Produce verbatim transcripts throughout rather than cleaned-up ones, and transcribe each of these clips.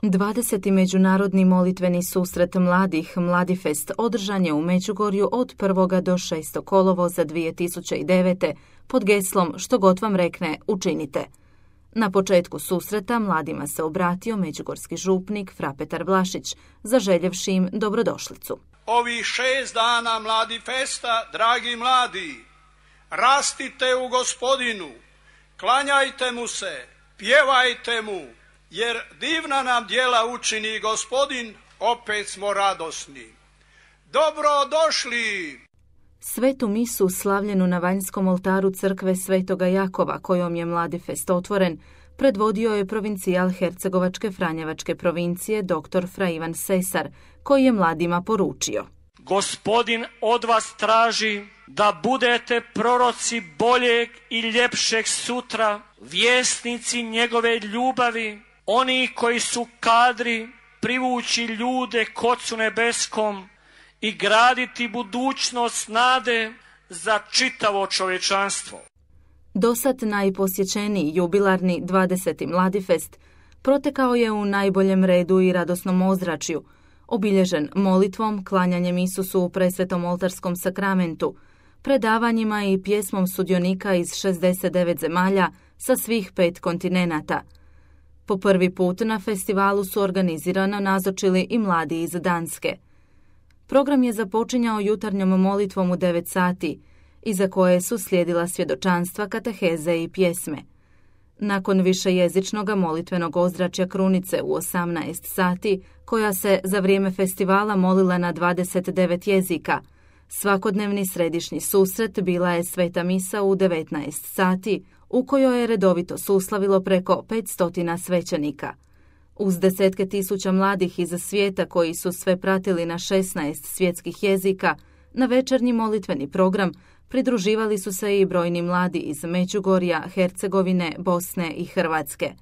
dvadeseti međunarodni molitveni susret mladih Mladifest održan je u Međugorju od prvog do šestog kolovoza dvije tisuće devete. pod geslom Što god vam rekne, učinite. Na početku susreta mladima se obratio međugorski župnik Fra Petar Vlašić, zaželjevši im dobrodošlicu. Ovih šest dana Mladifesta, dragi mladi, rastite u Gospodinu, klanjajte mu se, pjevajte mu, jer divna nam djela učini Gospodin, opet smo radosni. Dobrodošli! Svetu misu slavljenu na vanjskom oltaru crkve Svetoga Jakova, kojom je Mladifest otvoren, predvodio je provincijal Hercegovačke Franjevačke provincije dr. Fra Ivan Sesar, koji je mladima poručio. Gospodin od vas traži da budete proroci boljeg i ljepšeg sutra, vjesnici njegove ljubavi, oni koji su kadri privući ljude k Ocu nebeskom i graditi budućnost nade za čitavo čovječanstvo. Dosad najposjećeniji jubilarni dvadeseti Mladifest protekao je u najboljem redu i radosnom ozračju, obilježen molitvom, klanjanjem Isusu u presvetom oltarskom sakramentu, predavanjima i pjesmom sudionika iz šezdeset devet zemalja sa svih pet kontinenata. Po prvi put na festivalu su organizirano nazočili i mladi iz Danske. Program je započinjao jutarnjom molitvom u devet sati, iza koje su slijedila svjedočanstva, kateheze i pjesme. Nakon višejezičnog molitvenog ozračja krunice u osamnaest sati, koja se za vrijeme festivala molila na dvadeset devet jezika, svakodnevni središnji susret bila je sveta misa u devetnaest sati, u kojoj je redovito suslavilo preko petsto svećenika. Uz desetke tisuća mladih iz svijeta koji su sve pratili na šesnaest svjetskih jezika, na večernji molitveni program pridruživali su se i brojni mladi iz Međugorja, Hercegovine, Bosne i Hrvatske.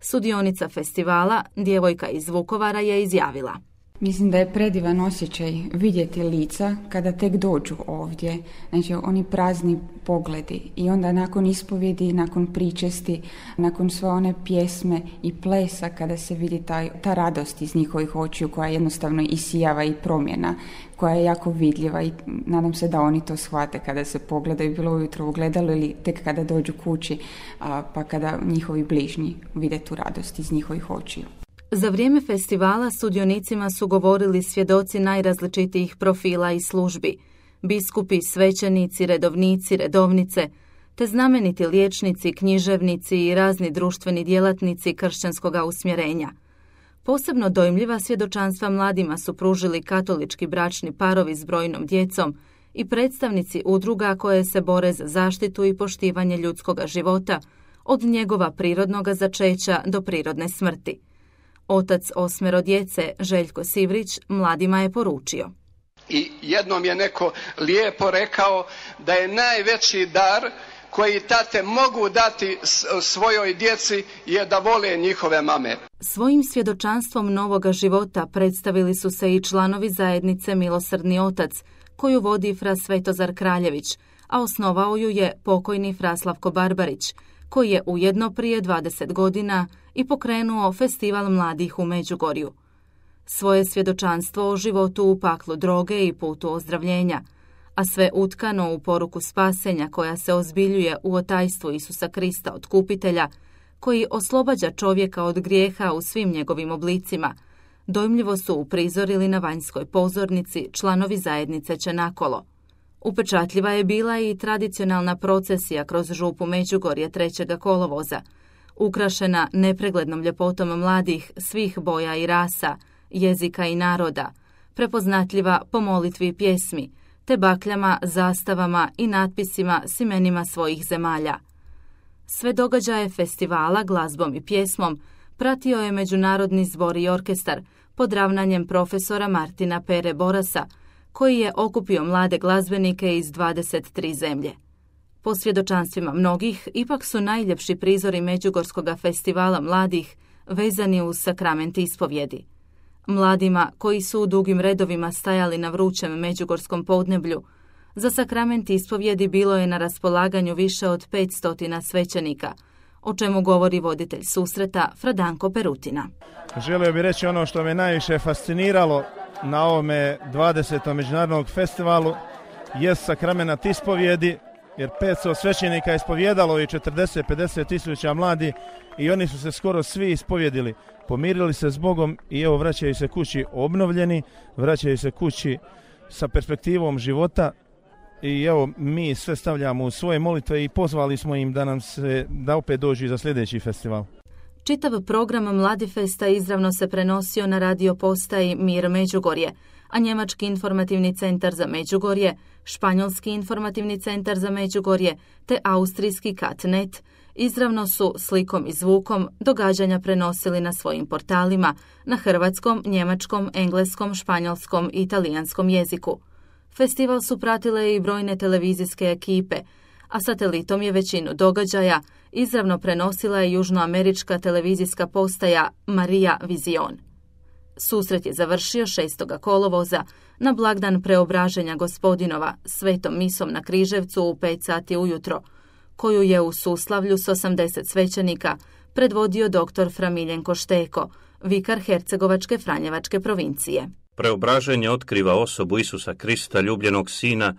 Sudionica festivala, djevojka iz Vukovara, je izjavila. Mislim da je predivan osjećaj vidjeti lica kada tek dođu ovdje, znači oni prazni pogledi i onda nakon ispovjedi, nakon pričesti, nakon sve one pjesme i plesa kada se vidi taj, ta radost iz njihovih očiju koja jednostavno isijava i promjena, koja je jako vidljiva i nadam se da oni to shvate kada se pogledaju bilo ujutro u gledalu ili tek kada dođu kući, a, pa kada njihovi bližnji vide tu radost iz njihovih očiju. Za vrijeme festivala sudionicima su govorili svjedoci najrazličitijih profila i službi, biskupi, svećenici, redovnici, redovnice, te znameniti liječnici, književnici i razni društveni djelatnici kršćanskoga usmjerenja. Posebno dojmljiva svjedočanstva mladima su pružili katolički bračni parovi s brojnom djecom i predstavnici udruga koje se bore za zaštitu i poštivanje ljudskoga života, od njegova prirodnoga začeća do prirodne smrti. Otac osmero djece, Željko Sivrić, mladima je poručio. I jednom je neko lijepo rekao da je najveći dar koji tate mogu dati svojoj djeci je da vole njihove mame. Svojim svjedočanstvom novoga života predstavili su se i članovi zajednice Milosrdni otac, koju vodi fra Svetozar Kraljević, a osnovao ju je pokojni fra Slavko Barbarić, koji je ujedno prije dvadeset godina i pokrenuo festival mladih u Međugorju. Svoje svjedočanstvo o životu u paklu droge i putu ozdravljenja, a sve utkano u poruku spasenja koja se ozbiljuje u otajstvu Isusa Krista Otkupitelja, koji oslobađa čovjeka od grijeha u svim njegovim oblicima, dojmljivo su uprizorili na vanjskoj pozornici članovi zajednice Čenakolo. Upečatljiva je bila i tradicionalna procesija kroz župu Međugorje trećeg kolovoza, ukrašena nepreglednom ljepotom mladih svih boja i rasa, jezika i naroda, prepoznatljiva po molitvi i pjesmi, te bakljama, zastavama i natpisima s imenima svojih zemalja. Sve događaje festivala glazbom i pjesmom pratio je Međunarodni zbor i orkestar pod ravnanjem profesora Martina Pere Borasa, koji je okupio mlade glazbenike iz dvadeset tri zemlje. Po svjedočanstvima mnogih, ipak su najljepši prizori Međugorskog festivala mladih vezani uz sakrament ispovjedi. Mladima, koji su u dugim redovima stajali na vrućem međugorskom podneblju, za sakrament ispovjedi bilo je na raspolaganju više od petsto svećenika, o čemu govori voditelj susreta Fradanko Perutina. Želio bih reći ono što me najviše fasciniralo na ovome dvadesetom međunarodnog festivalu je sakramenat ispovjedi, jer petsto svećenika je ispovjedalo i četrdeset do pedeset tisuća mladi i oni su se skoro svi ispovjedili, pomirili se s Bogom i evo vraćaju se kući obnovljeni, vraćaju se kući sa perspektivom života i evo mi sve stavljamo u svoje molitve i pozvali smo im da nam se da opet dođu za sljedeći festival. Čitav program Mladifesta izravno se prenosio na radio postaji Mir Međugorje, a Njemački informativni centar za Međugorje, Španjolski informativni centar za Međugorje te Austrijski Katnet izravno su slikom i zvukom događanja prenosili na svojim portalima na hrvatskom, njemačkom, engleskom, španjolskom i italijanskom jeziku. Festival su pratile i brojne televizijske ekipe, a satelitom je većinu događaja izravno prenosila je južnoamerička televizijska postaja Maria Vizion. Susret je završio šestog kolovoza na blagdan Preobraženja Gospodinova svetom misom na Križevcu u pet sati ujutro, koju je u suslavlju s osamdeset svećenika predvodio doktor Fra Miljenko Šteko, vikar Hercegovačke Franjevačke provincije. Preobraženje otkriva osobu Isusa Krista, ljubljenog Sina,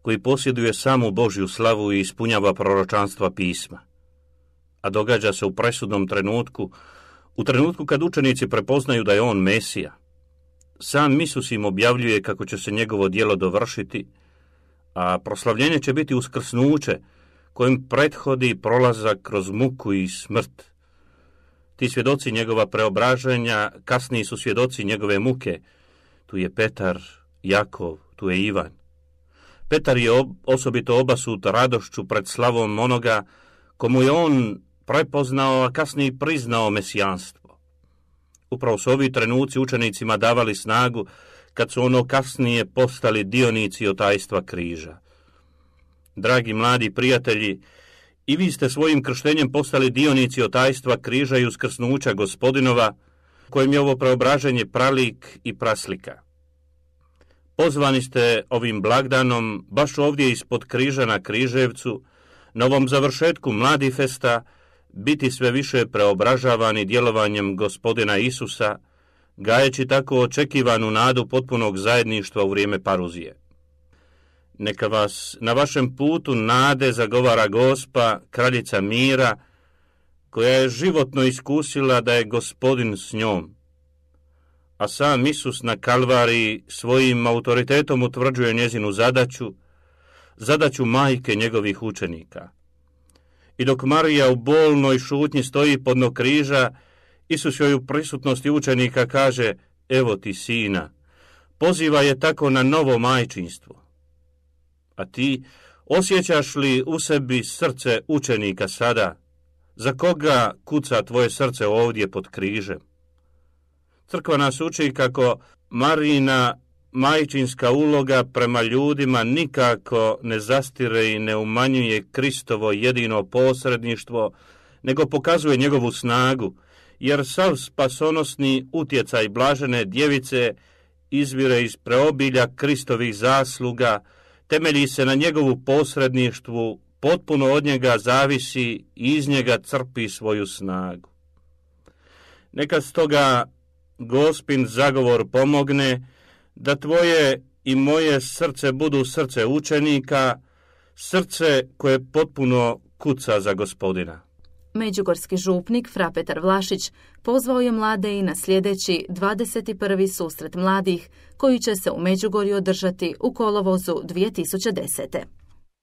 koji posjeduje samu Božju slavu i ispunjava proročanstva pisma. A događa se u presudnom trenutku, u trenutku kad učenici prepoznaju da je on Mesija. Sam Isus im objavljuje kako će se njegovo djelo dovršiti, a proslavljenje će biti uskrsnuće, kojim prethodi prolazak kroz muku i smrt. Ti svjedoci njegova preobraženja kasniji su svjedoci njegove muke. Tu je Petar, Jakov, tu je Ivan. Petar je ob, osobito obasut radošću pred slavom onoga komu je on prepoznao, a kasnije priznao mesijanstvo. Upravo su ovi trenuci učenicima davali snagu kad su ono kasnije postali dionici otajstva križa. Dragi mladi prijatelji, i vi ste svojim krštenjem postali dionici otajstva križa i uskrsnuća Gospodinova, kojem je ovo preobraženje pralik i praslika. Pozvani ste ovim blagdanom, baš ovdje ispod križa na Križevcu, na ovom završetku Mladifesta, biti sve više preobražavani djelovanjem Gospodina Isusa, gajeći tako očekivanu nadu potpunog zajedništva u vrijeme paruzije. Neka vas na vašem putu nade zagovara Gospa, kraljica mira, koja je životno iskusila da je Gospodin s njom. A sam Isus na Kalvariji svojim autoritetom utvrđuje njezinu zadaću, zadaću majke njegovih učenika. I dok Marija u bolnoj šutnji stoji podno križa, Isus joj u prisutnosti učenika kaže: evo ti sina. Poziva je tako na novo majčinstvo. A ti osjećaš li u sebi srce učenika sada? Za koga kuca tvoje srce ovdje pod križem? Crkva nas uči kako Marijina majčinska uloga prema ljudima nikako ne zastire i ne umanjuje Kristovo jedino posredništvo, nego pokazuje njegovu snagu, jer sav spasonosni utjecaj blažene djevice izvire iz preobilja Kristovih zasluga, temelji se na njegovu posredništvu, potpuno od njega zavisi i iz njega crpi svoju snagu. Neka stoga Gospin zagovor pomogne da tvoje i moje srce budu srce učenika, srce koje potpuno kuca za Gospodina. Međugorski župnik Fra Petar Vlašić pozvao je mlade i na sljedeći dvadeset prvi susret mladih koji će se u Međugorju održati u kolovozu dvije tisuće desete.